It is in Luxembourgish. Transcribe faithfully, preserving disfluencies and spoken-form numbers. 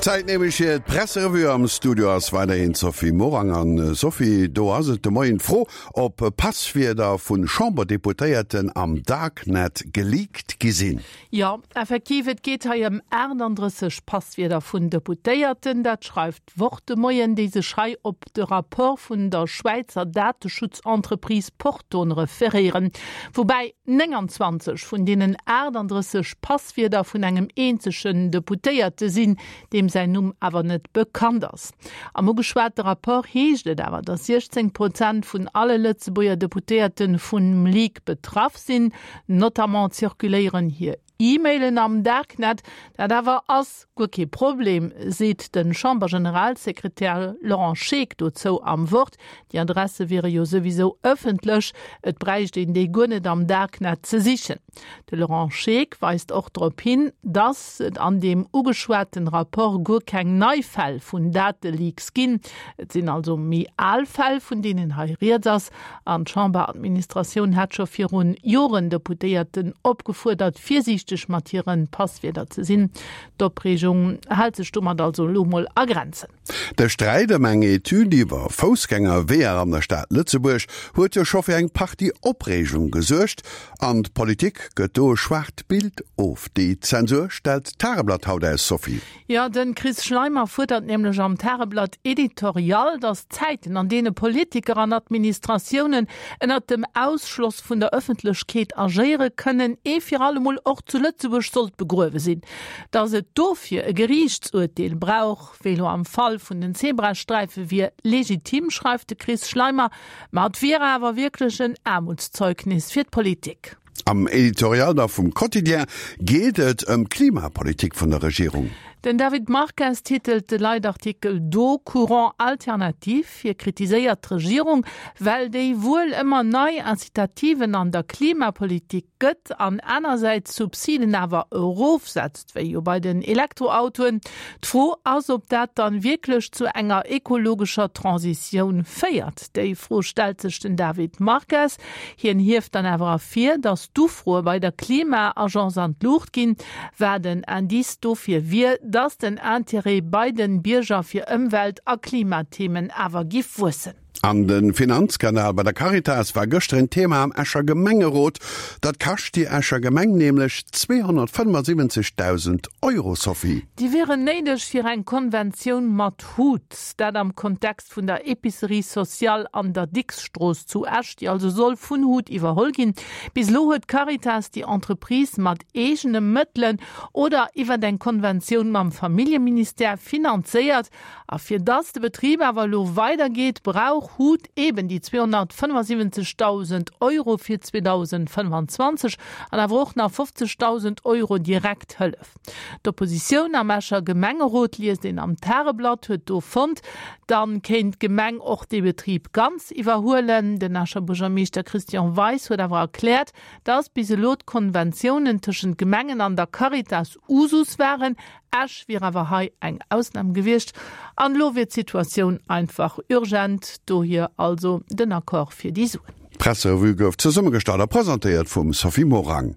Zäit nämlech fir d'Presserevue. Am Studio ass weiderhin d'Sophie Morang. An Sophie, do ass et de Moien d'Fro, ob Passwierder vu Chamberdeputéierten am Darknet geleakt gi sinn. Jo, effektiv, et geet hei ëm aachtanddrësseg Passwierder vun Deputéierten. Dat schreift d'Wort de Moien, déi sech hei op de Rapport vun der Schwäizer Dateschutzentreprise Porton referéieren. Woubäi nénganzwanzeg vun deenen aachtanddrësseg Passwierder vun engem eenzegen Deputéierte sinn, deem säin Numm awer net bekannt ass. Am ugeschwate Rapport heescht et awer, datt siechzéng Prozent vun alle Lëtzebuerger Deputéierte vum Leak betraff sinn. Notamment zirkuléieren hir E-Mailen am Darknet. Dat awer ass guer kee Problem, seet de Chambergeneralsekretär Laurent Scheeck dozou am Wort. Déi Adresse wiere jo souwisou ëffentlech, et bräicht een déi guer net am Darknet ze sichen. De Laurent Scheeck weist och drop hin, datt et an deem ugeschwaten Rapport guer keng nei Fäll vun Dateleaks ginn. Et sinn also méi al Fäll, vun deenen hei rieds ass. An d'Chamberadministratioun hätt scho virun Joren Deputéierten opgefuerdert, virsiichteg mat hire Passwierder ze sinn. D'Opreegung hält sech domat also elo mol a Grenzen. De Sträit ëm eng Etüd iwwer Foussgängerweeër an der Stad Lëtzebuerg huet jo scho fir eng Partie Opreegung gesuergt. An d'Politik gëtt do e schwaacht Bild of. Déi Zensur stellt d'Tageblatt haut aus, Sophie. Jo, de Chris Schleimer fuerdert nämlech am Tageblatt Editorial, datt d'Zäiten, an deene Politiker an Administratiounen ënnert dem Ausschloss vun der Ëffentlechkeet agéiere kënnen, ee fir allemol och zu Lëtzebuerg sollt begruewe sinn. Datt et dofir e Geriichtsurteel brauch, wéi elo am Fall vun den Zebrasträife, wier legitim, schreift de Chris Schleimer. Ma et wier awer wierklech en Aarmutszeugnis fir d'Politik. Am Editorial da vum Quotidien geet et ëm d'Klimapolitik vun der Regierung. Den David Marques titelt de Leitartikel do Courant alternatif. Hie kritiséiert d'Regierung, well déi wuel ëmmer nei Incitativen an der Klimapolitik gëtt an anersäits d'Subsiden awer erofsetzt, wéi jo bei den Elektroautoen. D'Fro ass, ob dat dann wierklech zu enger ekologescher Transitioun féiert. Déi Fro stellt sech den David Marques. Hien hieft dann awer ervir, datt d'Ufroe bei der Klima-Agence an d'Luucht ginn, wat en Indice dofir wier, datt den Interêt bei den Bierger fir Ëmwelt a Klimathemen awer giff wuessen. An de Finanzskandal bei der Caritas war gëschter en Thema am Escher Gemengerot. Dat kascht déi Escher Gemeng nämlech zweehonnertfënnefasiwwenzegdausend Euro, Sophie. Déi wieren néideg fir eng Konventioun mat Hut. Dat am Kontext vun der Epicerie sociale an der Dicks-Strooss zu Esch, déi also soll vun Hut iwwerholl ginn. Bis elo huet d'Caritas déi Entreprise mat eegene Mëttelen oder iwwert eng Konventioun mam Familljeministère finanzéiert. A fir dass de Betrib awer elo weidergeet, brauch hut eben déi zweehonnertfënnefasiwwenzegdausend Euro fir zweedausendfënnefanzwanzeg an awer och nach fofzegdausend Euro direkt Hëllef. D'Oppositioun am Escher Gemengerot, liest een am Tageblatt, huet do fonnt, dann kéint d'Gemeng och dee Betrib ganz iwwerhuelen. Den Escher Buergermeeschter Christian Weis huet awer erkläert, dass bis elo d'Konventiounen tëschent Gemengen an der Caritas Usus waren. Esch wier awer hei eng Ausnam gewiescht an elo wier d'Situatioun einfach urgent, dohier also den Accord fir déi Suen. D'Presserevue gouf zesummegestallt a presentéiert vum Sophie Morang.